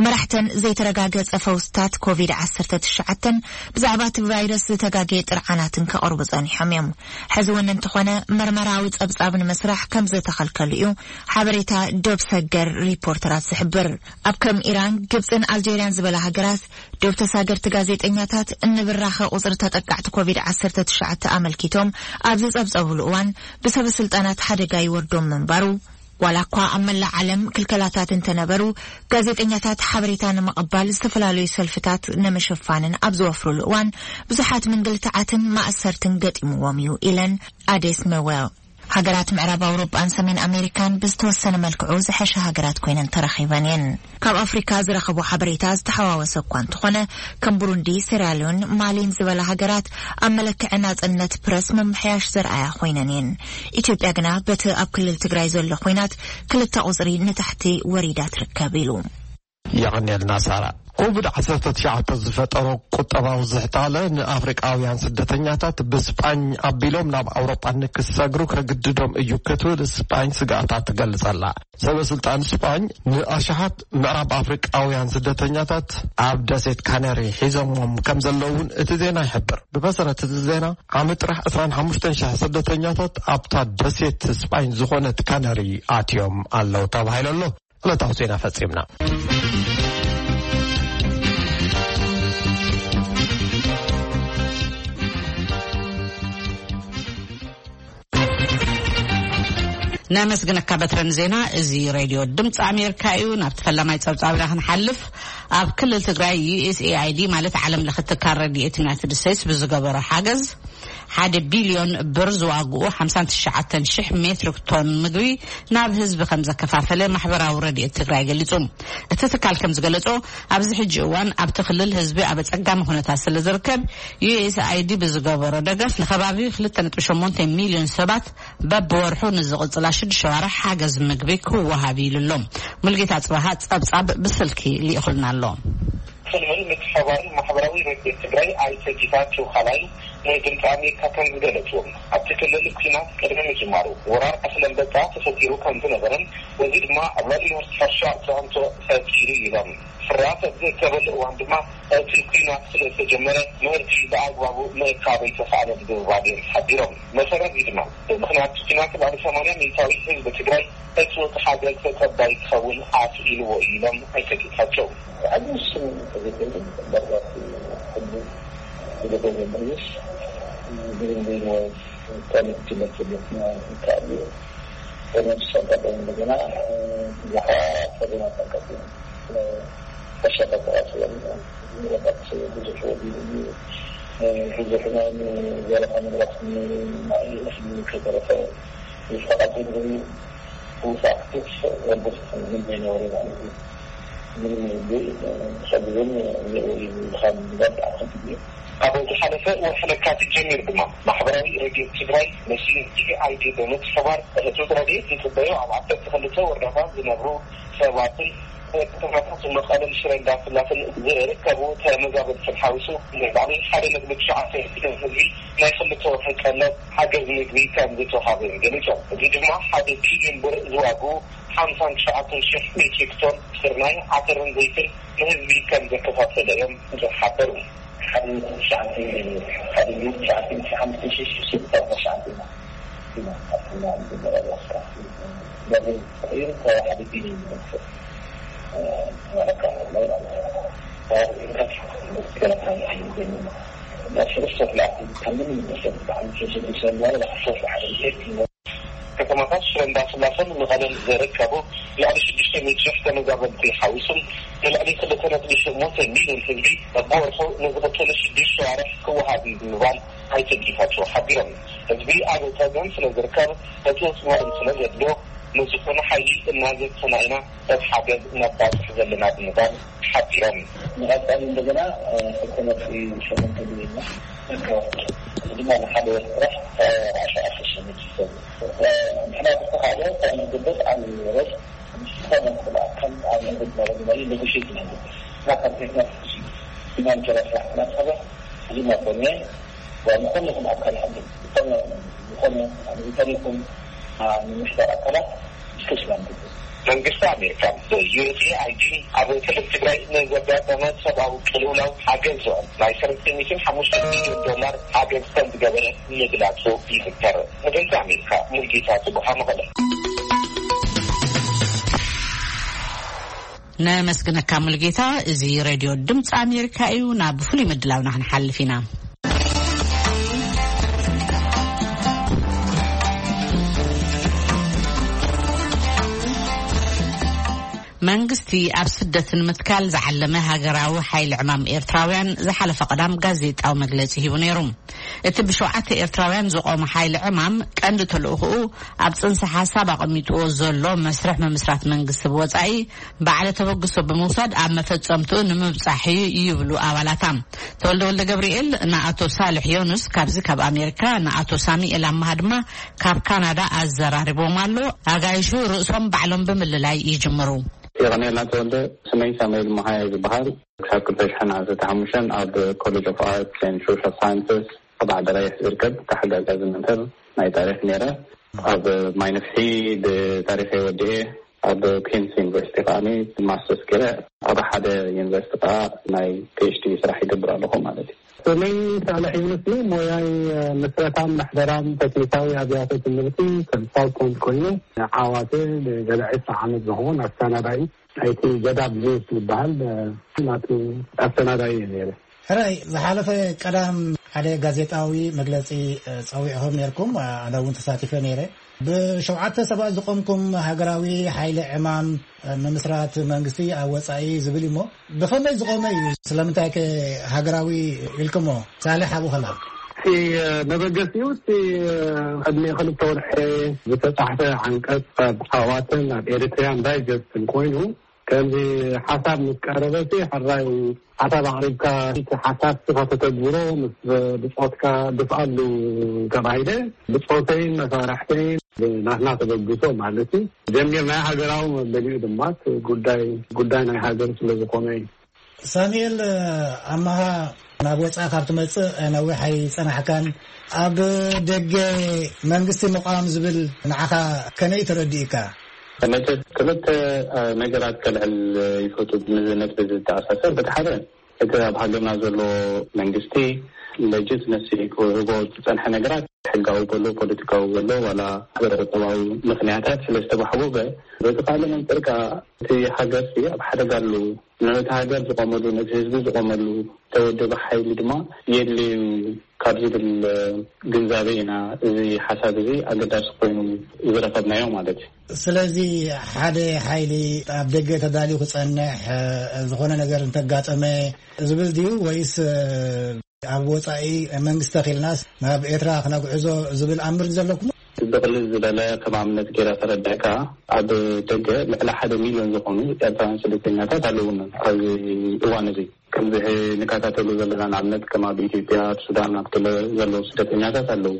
መራሕተን ዘይተረጋገጸ ፈውስታት ኮቪድ ዓሰርተ ትሽዓተን ብዛዕባ እቲ ቫይረስ ዝተጋገየ ጥርዓናትን ከቕርቡ ጸኒሖም እዮም። ሕዚ እውን እንተኾነ መርመራዊ ጸብጻብ ንምስራሕ ከም ዝተኸልከሉ እዩ ሓበሬታ ዶብ ሰገር ሪፖርተራት ዝሕብር። ኣብ ከም ኢራን፣ ግብጽን ኣልጀርያን ዝበላ ሃገራት ዶብ ተሳገርቲ ጋዜጠኛታት እንብራኸ ቁጽሪ ተጠቃዕቲ ኮቪድ ዓሰርተ ትሽዓተ ኣመልኪቶም ኣብ ዝጸብጸብሉ እዋን ብሰበ ስልጣናት ሓደጋ ይወርዶም ምንባሩ፣ ዋላ እኳ ኣብ መላእ ዓለም ክልከላታት እንተነበሩ፣ ጋዜጠኛታት ሓበሬታ ንምቕባል ዝተፈላለዩ ሰልፍታት ንምሽፋንን ኣብ ዝወፍሩሉ እዋን ብዙሓት ምንግልታዓትን ማእሰርትን ገጢምዎም እዩ ኢለን ኣዴስ መዌል። ሃገራት ምዕራብ ኣውሮጳን ሰሜን ኣሜሪካን ብዝተወሰነ መልክዑ ዝሐሸ ሃገራት ኮይነን ተረኺበን እየን። ካብ ኣፍሪካ ዝረኸቦ ሓበሬታ ዝተሓዋወሰ እኳ እንተኾነ፣ ከም ቡሩንዲ፣ ሴራሊዮን፣ ማሊን ዝበላ ሃገራት ኣብ መለክዒ ናጽነት ፕረስ ምምሕያሽ ዘርኣያ ኮይነን እየን። ኢትዮጵያ ግና በቲ ኣብ ክልል ትግራይ ዘሎ ኹናት ክልተ ቁጽሪ ንታሕቲ ወሪዳ ትርከብ ኢሉ። የቐንየልና ሳራ። ኮቪድ ዓሰርተ ትሽዓተ ዝፈጠሮ ቁጠባዊ ዝሕታለ ንኣፍሪቃውያን ስደተኛታት ብስጳኝ ኣቢሎም ናብ ኣውሮጳ ንክሰግሩ ከግድዶም እዩ ክትብል ስጳኝ ስግኣታ ትገልጸላ። ሰበ ስልጣን ስጳኝ ንኣሽሓት ምዕራብ ኣፍሪቃውያን ስደተኛታት ኣብ ደሴት ካነሪ ሒዞሞም ከም ዘለውን እቲ ዜና ይሕብር። ብመሰረት እቲ ዜና፣ ዓሚ ጥራሕ ዕስራን ሓሙሽተን ሽሕ ስደተኛታት ኣብታ ደሴት ስጳኝ ዝኾነት ካነሪ ኣትዮም ኣለዉ ተባሂሉ ኣሎ። ዕለታዊ ዜና ፈጺምና። ነመስግነካ በትረን ዜና። እዚ ሬድዮ ድምፂ ኣሜሪካ እዩ። ናብቲ ፈላማይ ፀብፃብና ክንሓልፍ፣ ኣብ ክልል ትግራይ ዩ ኤስ ኤ ኣይ ዲ ማለት ዓለም ለኸ ትካል ረድኤት ዩናይትድ ስቴትስ ብዝገበሮ ሓገዝ ሓደ ቢልዮን ብር ዝዋግኡ ሓምሳን ትሽዓተን ሽሕ ሜትሪክ ቶን ምግቢ ናብ ህዝቢ ከም ዘከፋፈለ ማሕበራዊ ረድኤት ትግራይ ገሊጹ። እቲ ትካል ከም ዝገለጾ፣ ኣብዚ ሕጂ እዋን ኣብቲ ክልል ህዝቢ ኣብ ኣጸጋሚ ኩነታት ስለ ዝርከብ፣ ዩ ኤስ ኣይ ዲ ብዝገበሮ ደገፍ ንከባቢ ክልተ ነጥቢ ሸሞንተ ሚልዮን ሰባት በብወርሑ ንዝቕጽላ ሽዱሽተ ኣዋርሕ ሓገዝ ምግቢ ክወሃብ ኢሉ ኣሎ። ሙልጌታ ጽባሃ ጸብጻብ ብስልኪ ልኢኹልና ኣሎ። ክልል ምትሕብባርን ማሕበራዊ ረድኤት ትግራይ ኣይተ ጌታቸው ካላይ ንድምፂ ኣሜሪካ ከም ዝገለፅዎ፣ ኣብቲ ክልል ኲናት ቅድሚ ምጅማሩ ወራር እኽሊ ኣንበጣ ተፈጢሩ ከም ዝነበረን፣ በዚ ድማ ኣብ ልዕሊ ምህርቲ ሕርሻ ፅዕንቶ ፈጢሩ ኢሎም። ፍርያት ኣብ ዝእከበሉ እዋን ድማ እቲ ኲናት ስለ ዝተጀመረ ምህርቲ ብኣግባቡ ምእካብ ኣይተኻእለን ብምባል እዮም ሓቢሮም። መሰረት እዚ ድማ ብምኽንያት ኲናት ልዕሊ ሰማንያ ሚእታዊት ህዝቢ ትግራይ እቲ ሓገዝ ተጸባይ ክኸውን ኣስኢልዎ እዩ ኢሎም ኣይተ ጌታቸው። ዓቢ ውስን ተዘይኮይኑ፣ ባርባቲ ሕጂ ዝገበረ ምርምስ ብግንበይን ወይ ካልእ ትምህርቲ ቤትና ይከኣል እዩ። ተመልሶ ኣጋጣሚ እንደገና ብዙሓት ፈተናታት ኣጋጢሙ። ተሸጠ ተዋስለን ንብረት ብዙሕ ወዲሉ እዩ። ብዙሕ ናይ ዘረፋ ንብረት ናይ እኽሊ ከይተረፈ ይፈቃት ዝብል ውሳክትስ ወደስ ዝመይ ነወረ ማለት እዩ። ምንም ይብል ሰብዝን ንኡ ይብል ካብ ዝገብ ኣኸት እዩ። ኣብ ዝሓለፈ ወርሒ ለካቲት ጀሚሩ ድማ ማሕበራዊ ረድኤት ትግራይ ምስ ዩ ኤስ ኤ ኣይ ዲ ብምትሕባር ህፁፅ ረድኤት ዝፅበዩ ኣብ ዓሰርተ ክልተ ወረዳታት ዝነብሩ ሰባትን ከተማታት መቐለን ሽረ እንዳስላሰን ዝርከቡ ተመዛበልትን ሓዊሱ ንልዕሊ ሓደ ነጥቢ ትሽዓተ ሚልዮን ህዝቢ ናይ ክልተ ወርሒ ቀለብ ሓገዝ ምግቢ ከም ዝተውሃበ ገሊፆም። እዚ ድማ ሓደ ቢልዮን ብር ዝዋግኡ ሓምሳን ትሽዓተን ሽሕ ሜትሪክ ቶን ስርናይ፣ ዓተርን ዘይትን ንህዝቢ ከም ዘከፋፈለ እዮም ዝሓበሩ። ሓደ ነጥቢ ትሽዓተ ሚልዮን፣ ሓደ ሚልዮን ትሽዓተ ሚእቲ ሓሙሽተ ሺሕ ሽዱሽተ ሚእቲ ትሽዓተ ኢና። ኢና ኣብቲ መጀመርያ ስራሕ። በዚ ተቐይሩ ካብ ሓደ ቢልዮን ይበልጽ። ከተማታት ሽረ እንዳስላሰን መቐለን ዝርከቡ ልዕሊ ሽዱሽተ ሚእቲ ሺሕ ተመዛበልቲ ሓዊሱ ንልዕሊ ክልተ ነጥቢ ሸሞንተ ሚልዮን ህዝቢ በብወርሑ ንዝቕፅሉ ሽዱሽተ ወርሒ ክወሃብ እዩ ብምባል ኣይተ ጌታቸው ሓቢሮም። ህዝቢ ኣብ ፀገም ስለ ዝርከብ ህፁፅ ምግቢ ስለ ዘድልዮ ንዝኾነ ሓይሊ እናዘተና ኢና እቲ ሓገዝ ነባፅሕ ዘለና ብምባል ሓቢሮም። ንቐፃሊ እንደገና ሕቶ ነጥቢ ሸሞንተ ሚልዮን እከወ ድማ ንሓደ ወርሒ ጥራሕ ኣሽዓተ ሸሞንተ ንሕና ዝተኻእለ ካብ ንግበር ኣብ ሮዝ ዝኾነ ክልኣከም ኣብ ንግድ መረብ መሪ ኔጎሽት ንግበር እና ካብ ቴክኖሎጂ ፊናንቸራ ስራሕ እናተኸበ እዚ መኮነ ዝኾነ ይኹን ኣካል ዝኾነ ዝኾነ ተሪኹም ንምሕዳር ኣካላት ስፔሻል መንግስቲ ኣሜሪካ ዩኤስኤኣይዲ ኣብ ክልል ትግራይ ንዘጋጠመ ሰብኣዊ ቅልውላው ሓገዝ ዝውዕል ናይ ሰለስተ ሚእትን ሓሙሽተ ሚልዮን ዶላር ሓገዝ ከም ዝገበረ ምግላፁ ይዝከር። ንድምፂ ኣሜሪካ ሙልጌታ ጽቡሓ መቐለ። ነመስግነካ ሙልጌታ። እዚ ሬድዮ ድምፂ ኣሜሪካ እዩ። ናብ ፍሉይ ምድላውና ክንሓልፍ ኢና። መንግስቲ ኣብ ስደት ንምትካል ዝዓለመ ሃገራዊ ሓይሊ ዕማም ኤርትራውያን ዝሓለፈ ቀዳም ጋዜጣዊ መግለጺ ሂቡ ነይሩ። እቲ ብሸውዓተ ኤርትራውያን ዝቖመ ሓይሊ ዕማም ቀንዲ ተልእኾኡ ኣብ ጽንሰ ሓሳብ ኣቐሚጥዎ ዘሎ መስርሕ ምምስራት መንግስቲ ብወጻኢ ባዕለ ተበግሶ ብምውሳድ ኣብ መፈጸምትኡ ንምብጻሕ እዩ ይብሉ ኣባላታ። ተወልደ ወልደ ገብርኤል ንኣቶ ሳልሕ ዮኑስ ካብዚ ካብ ኣሜሪካ፣ ንኣቶ ሳሙኤል ኣማሃ ድማ ካብ ካናዳ ኣዘራሪቦም ኣሎ። ኣጋይሹ ርእሶም ባዕሎም ብምልላይ ይጅምሩ። የቐንየልና ተወልደ። ስመይ ሳሙኤል መሃየ ዝበሃል። ክሳብ ክልተ ሽሕን ዓሰርተ ሓሙሽተን ኣብ ኮሌጅ ኦፍ ኣርትስ ኤንድ ሶሻል ሳይንስስ ኣብ ዓዲ ቀይሕ ዝርከብ ተሓጋጋዚ መምህር ናይ ታሪኽ ነይረ። ኣብ ማይ ነፍሒ ብታሪኸይ ወዲኤ ኣብ ኩንስ ዩኒቨርሲቲ ከዓኒ ማስተርስ ገይረ ኣብ ሓደ ዩኒቨርሲቲ ከዓ ናይ ፒኤችዲ ስራሕ ይገብር ኣለኹ ማለት እዩ። ስመይ ሳልሕ ዩኑስ እዩ። ሞያይ ምስረታን ምሕደራን ቴክኒካዊ ኣብያተ ትምህርቲ ኮንሳልታንት ኮይኑ ዓዋተ ንገለ ዕስራ ዓመት ዝኸውን ኣሰናዳኢ ናይቲ ገዳብ ኒውስ ዝበሃል ናቱ ኣሰናዳኢ እየ ነይረ። ሕራይ ዝሓለፈ ቀዳም ሓደ ጋዜጣዊ መግለጺ ጸዊዕኹም ነይርኩም፣ ኣነ እውን ተሳቲፈ ነይረ። ብሸውዓተ ሰባት ዝቆምኩም ሃገራዊ ሓይሊ ዕማም ምምስራት መንግስቲ ኣብ ወጻኢ ዝብል እሞ ብኸመይ ዝቆመ እዩ? ስለምንታይ ከ ሃገራዊ ኢልኩሞ? ሳልሕ ኣብኡ ከላ። እቲ መበገሲኡ እቲ ቅድሚ ክልተ ወርሒ ዝተጻሕፈ ዓንቀጽ ኣብ ዓዋተን ኣብ ኤሪትሪያን ዳይጀስትን ኮይኑ ከምዚ ሓሳብ ምስ ቀረበ ሲ ሕራይ ሓሳብ ኣቕሪብካ እቲ ሓሳብ ስኻ ተተግብሮ ምስ ብጾትካ ድፍኣሉ ተባሂለ ብጾተይን መሳርሕተይን ናትና ተበግሶ ማለት እዩ ጀሚርናዮ። ሃገራዊ መበሊኡ ድማ እቲ ጉዳይ ጉዳይ ናይ ሃገር ስለ ዝኾነ እዩ። ሳሙኤል ኣማሃ ናብ ወጻኢ ካብ ትመጽእ ነዊሕ ኣይጸናሕካን። ኣብ ደገ መንግስቲ ምቋም ዝብል ንዓኻ ከመይ ተረዲእካ? መቸስ ክልተ ነገራት ከልዕል ይፈቱ። ምስ ነጥቢ ዝተኣሳሰር፣ በቲ ሓደ እቲ ኣብ ሃገርና ዘሎ መንግስቲ ለጅትመሲ ክህቦ ዝጸንሐ ነገራት፣ ሕጋዊ በሎ ፖለቲካዊ በሎ ዋላ ማሕበረ ቁጠባዊ ምኽንያታት ስለ ዝተባሕጎገ፣ በቲ ካልእ መንጽር ከኣ እቲ ሃገርሲ ኣብ ሓደጋ ኣሎ። ነቲ ሃገር ዝቆመሉ፣ ነቲ ህዝቢ ዝቆመሉ ተወደበ ሓይሊ ድማ የድልዩ ካብ ዝብል ግንዛቤ ኢና እዚ ሓሳብ እዚ ኣገዳሲ ኮይኑ ዝረኸብናዮ ማለት እዩ። ስለዚ ሓደ ሓይሊ ኣብ ደገ ተዳልዩ ክጸንሕ፣ ዝኾነ ነገር እንተጋጠመ ዝብል ድዩ፣ ወይስ ኣብ ወጻኢ መንግስቲ ተኺልናስ ናብ ኤርትራ ክነግዕዞ ዝብል ኣምር ዘለኩም? ብቕልል ዝበለ ከም ኣብነት ገይረ ከረድእካ፣ ኣብ ደገ ልዕሊ ሓደ ሚልዮን ዝኾኑ ኤርትራውያን ስደተኛታት ኣለውና ኣብዚ እዋን እዚ። ከምዚ ንከታተሉ ዘለና፣ ንኣብነት ከም ኣብ ኢትዮጵያ፣ ኣብ ሱዳን፣ ኣብ ገለ ዘለዉ ስደተኛታት ኣለዉ።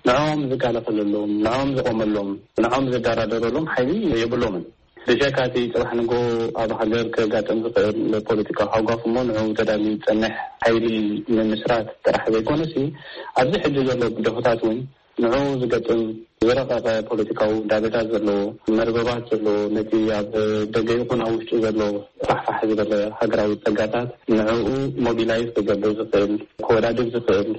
ንዕኦም ዝጋለፈለሎም፣ ንዕኦም ዝቆመሎም፣ ንዕኦም ዝደራደረሎም ሓይሊ የብሎምን። ብጀካ እቲ ጽባሕ ንግሆ ኣብ ሃገር ከጋጥም ዝኽእል ፖለቲካዊ ሃጓፍ እሞ ንዕኡ ተዳልዩ ዝጸንሕ ሓይሊ ምምስራት ጥራሕ ዘይኮነሲ፣ ኣብዚ ሕጂ ዘሎ ብደሆታት እውን ንዕኡ ዝገጥም ዝረቐቐ ፖለቲካዊ ውዳቤታት ዘለዎ፣ መርበባት ዘለዎ፣ ነቲ ኣብ ደገ ይኹን ኣብ ውሽጢ ዘሎ ፋሕፋሕ ዝበለ ሃገራዊ ጸጋታት ንዕኡ ሞቢላይዝ ክገብር ዝኽእል፣ ክወዳድር ዝኽእል፣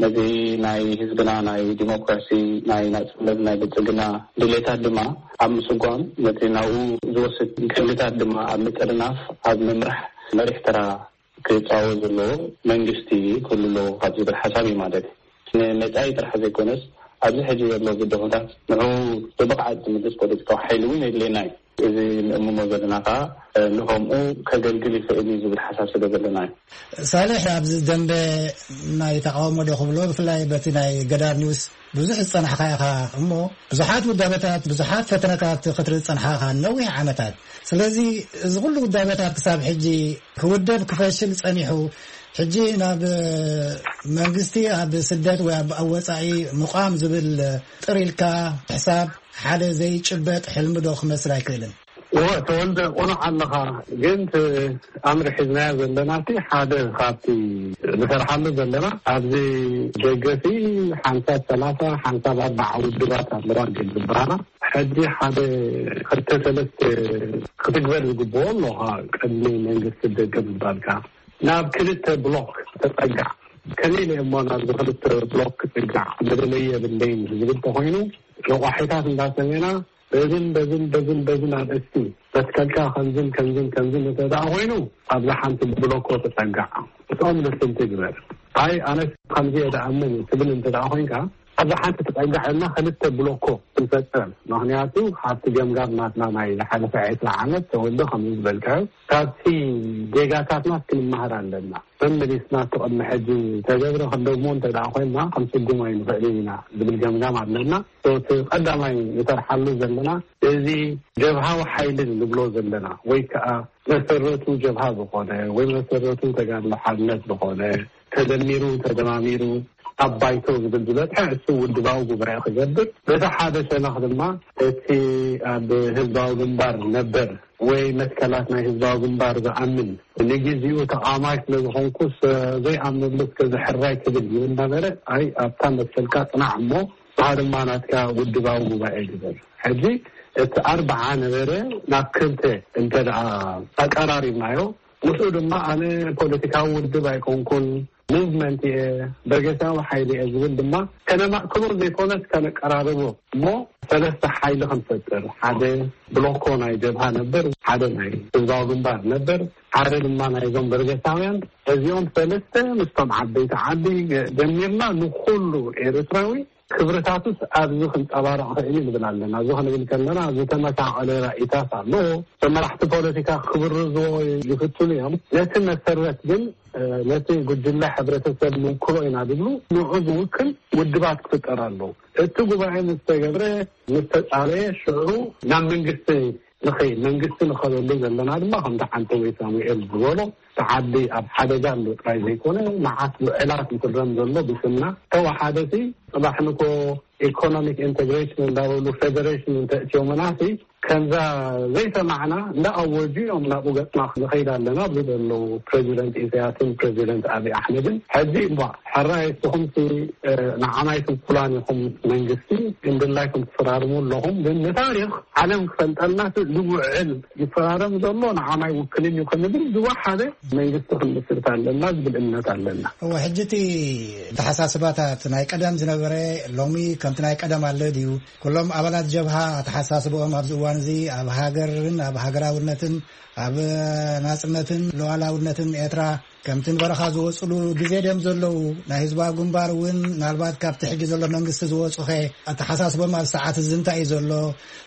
ነዚ ናይ ህዝብና ናይ ዲሞክራሲ፣ ናይ ናጽነት፣ ናይ ብልጽግና ድሌታት ድማ ኣብ ምስጓም፣ ነቲ ናብኡ ዝወስድ ቀንድታት ድማ ኣብ ምጥርናፍ፣ ኣብ ምምራሕ መሪሕ ተራ ክጻወት ዘለዎ መንግስቲ ክህሉ ኣለዎ ካብ ዝብል ሓሳብ እዩ ማለት እዩ። ንመጻኢ ጥራሕ ዘይኮነስ፣ ኣብዚ ሕጂ ዘሎ ብድሆታት ንዕኡ ብብቕዓት ዝምልስ ፖለቲካዊ ሓይሊ እውን የድልየና እዩ። እዚ ንእምሞ ዘለና ከኣ፣ እ፣ ንኸምኡ ከገልግል ይኽእል እዩ ዝብል ሓሳብ ስለ ዘለና እዩ። ሳልሕ፣ ኣብዚ ደንበ ናይ ተቃውሞ ዶ ክብሎ፣ ብፍላይ በቲ ናይ ገዳር ኒውስ ብዙሕ ዝጸናሕካ ኢኻ እሞ፣ ብዙሓት ውዳበታት፣ ብዙሓት ፈተነታት ክትርኢ ዝጸንሓ ኢኻ ነዊሕ ዓመታት። ስለዚ እዚ ኩሉ ውዳበታት ክሳብ ሕጂ ክውደብ ክፈሽል ጸኒሑ፣ ሕጂ ናብ መንግስቲ ኣብ ስደት ወይ ኣብ፣ ኣብ ወጻኢ ምቋም ዝብል ጥር ኢልካ ሕሳብ ሓደ ዘይጭበጥ ሕልሚ ዶ ክመስል ኣይክእልን? እወ፣ ተወልደ፣ ቁኑዕ ኣለኻ። ግን እቲ ኣምር ሒዝናዮ ዘለና፣ እቲ ሓደ ካብቲ ንሰርሓሉ ዘለና፣ ኣብዚ ደገሲ ሓንሳብ ሰላሳ፣ ሓንሳብ ኣርባዓ ውድባት ኣለዋ ግን ዝበሃላ፣ ሕጂ ሓደ ክልተ ሰለስተ ክትግበር ዝግብኦ ኣለኻ። ቅድሚ መንግስቲ ደገ ምባልካ፣ ናብ ክልተ ብሎክ ተጸጋዕ። ከመይ ኢለ እሞ ናብዚ ክልተ ብሎክ ክጽጋዕ? መለለዪ የብለይን ዝብል ተኾይኑ፣ ረቋሒታት እንዳሰሜና በዝን በዝን በዝን በዝን ኣርእስቲ መትከልካ ከምዝን ከምዝን ከምዝን እንተ ደኣ ኮይኑ፣ ኣብዛ ሓንቲ ብሎኮ ተጸጋዕ። እቶም ልፍንቲ ግበር። ኣይ፣ ኣነስ ከምዚ እየ ደኣምን ትብል እንተ ደኣ ኮይንካ፣ ኣብዛ ሓንቲ ተጸጋዕ ኢልና ክልተ ብሎኮ ክንፈጥር። ምኽንያቱ፣ ኣብቲ ገምጋም ናትና ናይ ዝሓለፈ ዕስራ ዓመት ተወልዶ ከምዚ ዝበልካዮ፣ ካብቲ ጌጋታትና ክንመሃር ኣለና። መመሊስና እቲ ቅድሚ ሕጂ ተገብረ ክንደግሞ እንተ ደኣ ኮይንና፣ ክንስጉሞ ኣይንኽእልን ኢና ዝብል ገምጋም ኣለና። እቲ ቀዳማይ ንሰርሓሉ ዘለና፣ እዚ ጀብሃዊ ሓይሊ ንብሎ ዘለና፣ ወይ ከኣ መሰረቱ ጀብሃ ዝኾነ፣ ወይ መሰረቱ ተጋድሎ ሓርነት ዝኾነ፣ ተደሚሩ፣ ተደማሚሩ፣ ኣብ ባይቶ ዝብል ዝበጽሐ፣ እሱ ውድባዊ ጉባኤ ክገብር፣ በቲ ሓደ ሸነኽ ድማ እቲ ኣብ ህዝባዊ ግንባር ነበር ወይ መትከላት ናይ ህዝባዊ ግንባር ዝኣምን፣ ንግዜኡ ተቓዋማይ ስለ ዝኾንኩስ ዘይኣምነሉ እስከ ዝሕራይ ክብል ይብል ነበረ። ኣይ፣ ኣብታ መትከልካ ጽናዕ እሞ፣ ንዓ ድማ ናትካ ውድባዊ ጉባኤ ግበር። ሕጂ እቲ ኣርብዓ ነበረ ናብ ክልተ እንተ ደኣ ኣቀራሪብናዮ፣ ምስኡ ድማ ኣነ ፖለቲካዊ ውድብ ኣይኮንኩን፣ ሙቭመንት እየ፣ በርጌሳዊ ሓይሊ እየ ዝብል ድማ ከነማእክሎ ዘይኮነስ ከነቀራርቦ እሞ ሰለስተ ሓይሊ ክንፈጥር፣ ሓደ ብሎኮ ናይ ጀብሃ ነበር፣ ሓደ ናይ ህዝባዊ ግንባር ነበር፣ ሓደ ድማ ናይዞም በርጌሳውያን። እዚኦም ሰለስተ ምስቶም ዓበይቲ ዓዲ ደሚርና ንኹሉ ኤርትራዊ ክብርታቱስ ኣብዚ ክንጸባረቕ ክእል እዩ ንብል ኣለና። እዚ ክንብል ከለና ዝተመሳቐለ ራኢታት ኣሎ። መራሕቲ ፖለቲካ ክብርዝዎ ይፍትኑ እዮም። ነቲ መሰረት ግን፣ እ፣ ነቲ ጉጅለ ሕብረተሰብ ንውክሎ ኢና ዝብሉ ንዑ ዝውክል ውድባት ክፍጠር ኣለዎ። እቲ ጉባኤ ምስ ተገብረ፣ ምስ ተጻረየ፣ ሽዑ ናብ መንግስቲ ንኸይድ፣ መንግስቲ ንኸደሉ ዘለና ድማ ከምቲ ሓንተ ወይ ሳሙኤል ዝበሎ፣ እቲ ዓዲ ኣብ ሓደጋ ኣሎ ጥራይ ዘይኮነ፣ መዓት ውዕላት ይፍረም ዘሎ ብስምና። ተወሓደ ሲ፣ ጽባሕ ንኮ ኢኮኖሚክ ኢንተግሬሽን እንዳበሉ ፌደሬሽን እንተእትዮምና ሲ፣ ከምዛ ዘይሰማዕና እንዳኣወጁ እዮም ናብኡ ገጽና ንኸይድ ኣለና ዝብሉ ዘለዉ ፕሬዚደንት ኢሳያስን ፕሬዚደንት ኣብይ ኣሕመድን። ሕጂ እባ ሕራይ እስኹምሲ ንዓማይ ትውኩላን ኢኹም፣ መንግስቲ ግን ድላይኩም ትፈራርሙ ኣለኹም፣ ግን ንታሪኽ ዓለም ክፈልጠልና ዝውዕል ይፈራረም ዘሎ ንዓማይ ውክልን እዩ ክንብል ዝወሓደ መንግስቲ ክንምስርት ኣለና ዝብል እምነት ኣለና። እወ፣ ሕጂ እቲ ኣተሓሳስባታት ናይ ቀደም ዝነበረ ሎሚ ከምቲ ናይ ቀደም ኣሎ ድዩ? ኩሎም ኣባላት ጀብሃ ኣተሓሳስብኦም ኣብዚ እዋን እዚ ኣብ ሃገርን ኣብ ሃገራውነትን ኣብ ናጽነትን ሉዓላውነትን ኤርትራ ከምቲ ንበረኻ ዝወጽሉ ግዜ ድዮም ዘለዉ? ናይ ህዝባዊ ግንባር እውን ምናልባት ካብቲ ሕጂ ዘሎ መንግስቲ ዝወጹኸ ኣተሓሳስቦም ኣብ ሰዓት እዚ እንታይ እዩ ዘሎ?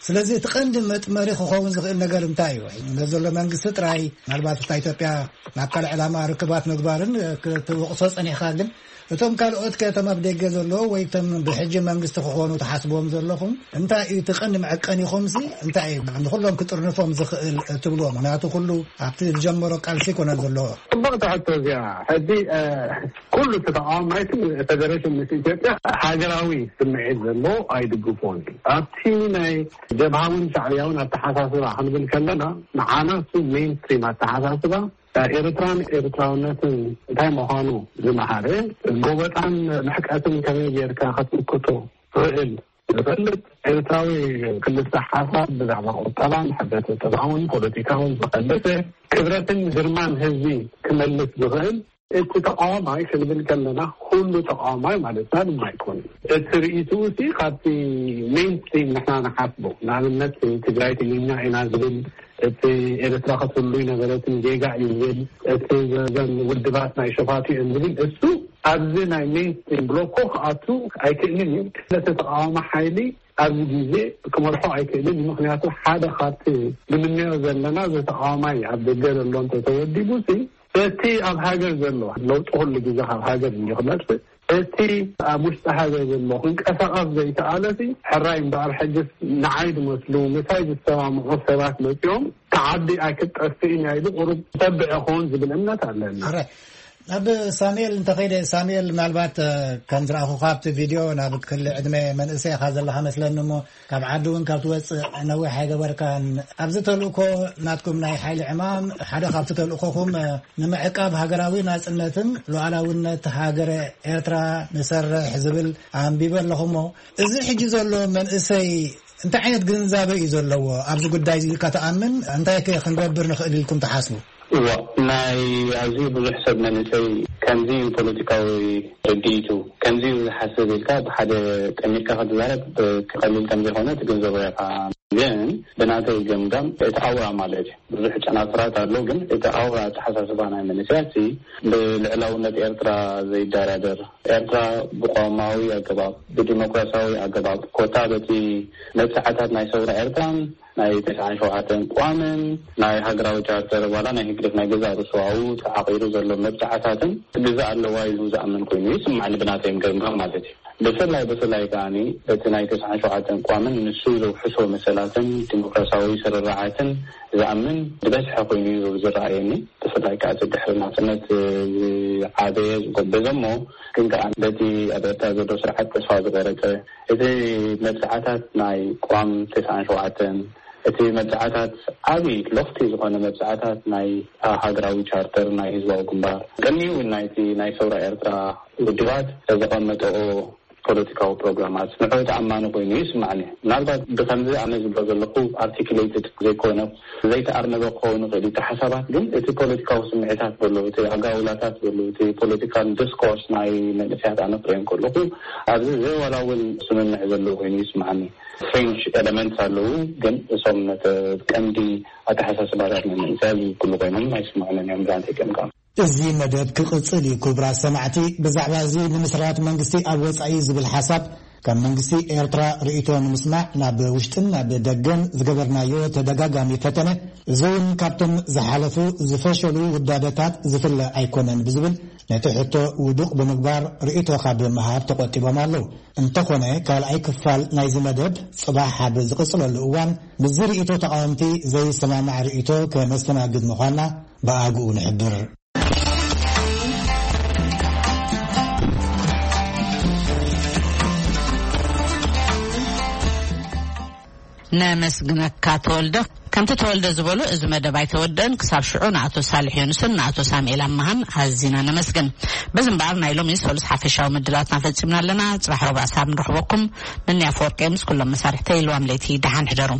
ስለዚ እቲ ቀንዲ መጥመሪ ክኸውን ዝኽእል ነገር እንታይ እዩ? ነዚ ዘሎ መንግስቲ ጥራይ ምናልባት እታ ኢትዮጵያ ናብ ካልእ ዕላማ ርክባት ምግባርን ክትወቕሶ ጸኒሕካ፣ ግን እቶም ካልኦት ከ እቶም ኣብ ደገ ዘለዉ ወይ እቶም ብሕጂ መንግስቲ ክኾኑ ትሓስብዎም ዘለኹም እንታይ እዩ እቲ ቀንዲ መዐቀኒኹምሲ እንታይ እዩ ንኹሎም ክጥርንፎም ዝኽእል ትብልዎ? ምክንያቱ ኩሉ ኣብቲ ዝጀመሮ ቃልሲ ኣይኮነን ዘሎ። ጽብቕቲ ሕቶ እዚኣ። ሕጂ ኩሉ እቲ ተቃዋማይትን ፌደሬሽን ምስ ኢትዮጵያ ሃገራዊ ስምዒት ዘለዎ ኣይድግፎን እዩ። ኣብቲ ናይ ጀብሃውን ሻዕብያውን ኣተሓሳስባ ክንብል ከለና ንዓና እሱ ሜንስትሪም ኣተሓሳስባ ኤርትራን ኤርትራውነትን እንታይ ምዃኑ ዝመሃረ፣ ጎበጣን ምሕቀትን ከመይ ጌርካ ክትምክቶ ትኽእል ዝፈልጥ ኤርትራዊ ክልተ ሓሳብ ብዛዕባ ቁጠባን ሕብረተሰባውን ፖለቲካውን ዝኸለሰ ክብረትን ግርማን ህዝቢ ክመልስ ዝኽእል እቲ ተቃዋማይ ክንብል ከለና ኩሉ ተቃዋማይ ማለትና ድማ ኣይኮነን። እቲ ርእይትኡ እቲ ካብቲ ሜንስትሪም ንሕና ንሓስቦ ንኣብነት ትግራይ ትግርኛ ኢና ዝብል እቲ ኤርትራ ክትህሉ ይነበረትን ጌጋ እዩ ዝብል እቲ ዘን ውድባት ናይ ሸፋቱ እዮም ዝብል እሱ ኣብዚ ናይ ሜንስትሪም ብሎኮ ክኣቱ ኣይክእልን እዩ። ስለዚ ተቃዋሚ ሓይሊ ኣብዚ ግዜ ክመርሖ ኣይክእልን እዩ። ምክንያቱ ሓደ ካብቲ ንምንዮ ዘለና እዚ ተቃዋማይ ኣብ ደገ ዘሎ እንተተወዲቡ ሲ እቲ ኣብ ሃገር ዘሎ ለውጢ ኩሉ ግዜ ካብ ሃገር እንዲ ክመፅእ እቲ ኣብ ውሽጢ ሃገር ዘሎ ክንቀሳቐስ ዘይተኣለሲ ሕራይ እምበኣር ሕጅስ ንዓይ ዝመስሉ ምሳይ ዝሰማምዑ ሰባት መፂኦም ተዓዲ ኣይክትጠፍእን እያ ኢሉ ቁሩብ ተብዕ ይኸውን ዝብል እምነት ኣለኒ። ሕራይ ናብ ሳሙኤል እንተኸይደ ሳሙኤል ምናልባት ከም ዝረኣኹ ካብቲ ቪድዮ ናብ ክሊ ዕድመ መንእሰይ ኢኻ ዘለኻ መስለኒ እሞ ካብ ዓዲ እውን ካብ ትወፅእ ነዊሕ ኣይገበርካን። ኣብዚ ተልእኮ ናትኩም ናይ ሓይሊ ዕማም ሓደ ካብቲ ተልእኮኹም ንምዕቃብ ሃገራዊ ናጽነትን ሉዓላውነት ሃገረ ኤርትራ ንሰርሕ ዝብል ኣንቢበ ኣለኹሞ፣ እዚ ሕጂ ዘሎ መንእሰይ እንታይ ዓይነት ግንዛበ እዩ ዘለዎ ኣብዚ ጉዳይ እዚ? ኢልካ ትኣምን? እንታይ ከ ክንገብር ንኽእል ኢልኩም ትሓስቡ? እዋ፣ ናይ ኣዝዩ ብዙሕ ሰብ መንእሰይ ከምዚ እዩ ፖለቲካዊ ርድኢቱ፣ ከምዚ እዩ ዝሓስብ ኢልካ ብሓደ ጠሚርካ ክትዛረብ ቀሊል ከም ዘይኮነ ትግንዘቦ ኢኻ። ግን ብናተይ ገምጋም እቲ ኣውራ ማለት እዩ፣ ብዙሕ ጨናፍራት ኣሎ፣ ግን እቲ ኣውራ ኣተሓሳስባ ናይ መንእሰያት ብልዕላውነት ኤርትራ ዘይደራደር፣ ኤርትራ ብቆማዊ ኣገባብ፣ ብዲሞክራሲያዊ ኣገባብ፣ ኮታ በቲ መብጽዓታት ናይ ሰውራ ኤርትራን ናይ ተስዓን ሸውዓተን ቅዋምን ናይ ሃገራዊ ቻርተር ዋላ ናይ ህግደፍ ናይ ገዛእ ርእሱ ኣብኡ ተዓቒሩ ዘሎ መብጽዓታትን ግዛእ ኣለዋ ኢሉ ዝኣምን ኮይኑ ይስማዕኒ፣ ብናተይ ገምጋም ማለት እዩ። ብፍላይ ብፍላይ ከኣኒ እቲ ናይ ተስዓን ሸውዓተን ቅዋምን ንሱ ዘውሕሶ መሰላትን ዲሞክራሲያዊ ስርርዓትን ዝኣምን ዝበዝሐ ኮይኑ እዩ ዝረኣየኒ። ብፍላይ ከዓ እቲ ድሕሪ ናጽነት ዝዓበየ ዝጎበዘ እሞ ግን ከዓ በቲ ኣብ ኤርትራ ዘሎ ስርዓት ተስፋ ዝቆረጸ፣ እቲ መብጽዓታት ናይ ቅዋም ተስዓን ሸውዓተን፣ እቲ መብጽዓታት ዓቢ ሎኽቲ ዝኾነ መብጽዓታት ናይ ሃገራዊ ቻርተር ናይ ህዝባዊ ግንባር፣ ቅድሚኡ እውን ናይቲ ናይ ሰውራ ኤርትራ ውድባት ዘቐመጠኦ ፖለቲካዊ ፕሮግራማት ንዑ ተኣማኒ ኮይኑ ይስማዕኒ። ምናልባት ብከምዚ ኣነ ዝብሎ ዘለኹ ኣርቲኩሌትድ ዘይኮነ ዘይተኣርነበ ክኸውን ይኽእል እዩ እቲ ሓሳባት፣ ግን እቲ ፖለቲካዊ ስምዒታት በሎ፣ እቲ ኣጋውላታት በሎ፣ እቲ ፖለቲካል ዲስኮርስ ናይ መንእሰያት ኣነ ክርእዮ ከለኹ ኣብዚ ዘይዋላ እውን ስምምዕ ዘለዎ ኮይኑ ይስማዕኒ። ፍሬንች ኤለመንትስ ኣለዉ፣ ግን እሶም ነቲ ቀንዲ ኣተሓሳስባታት ናይ መንእሰያት ዝውክሉ ኮይኖም ኣይስምዑንን እዮም ብዛንተ ገምጋም። እዚ መደብ ክቕጽል እዩ። ክቡራት ሰማዕቲ፣ ብዛዕባ እዚ ንምስራት መንግስቲ ኣብ ወጻኢ ዝብል ሓሳብ ካብ መንግስቲ ኤርትራ ርእይቶ ንምስማዕ ናብ ውሽጥን ናብ ደገን ዝገበርናዮ ተደጋጋሚ ፈተነ፣ እዚ እውን ካብቶም ዝሓለፉ ዝፈሸሉ ውዳበታት ዝፍለ ኣይኮነን ብዝብል ነቲ ሕቶ ውዱቕ ብምግባር ርእይቶ ካብ ምሃብ ተቖጢቦም ኣለዉ። እንተኾነ ካልኣይ ክፋል ናይዚ መደብ ጽባሕ ኣብ ዝቕጽለሉ እዋን ምስዚ ርእይቶ ተቓወምቲ ዘይሰማማዕ ርእይቶ ከነስተናግድ ምዃንና ብኣግኡ ንሕብር። ነመስግነካ ተወልደ። ከምቲ ተወልደ ዝበሎ፣ እዚ መደብ ኣይተወደን። ክሳብ ሽዑ ንኣቶ ሳልሕ ዮኑስን ንኣቶ ሳሙኤል ኣማሃን ኣዚና ነመስግን። በዚ እምበኣር፣ ናይ ሎሚ ሰሉስ ሓፈሻዊ ምድላትና ፈጺምና ኣለና። ጽባሕ ረቡዕ ሳብ ንረኽበኩም። ንንያ ኣፈወርቂ ምስ ኩሎም መሳርሕተይ ኢልዋም ለይቲ ደሓን ሕደሩ።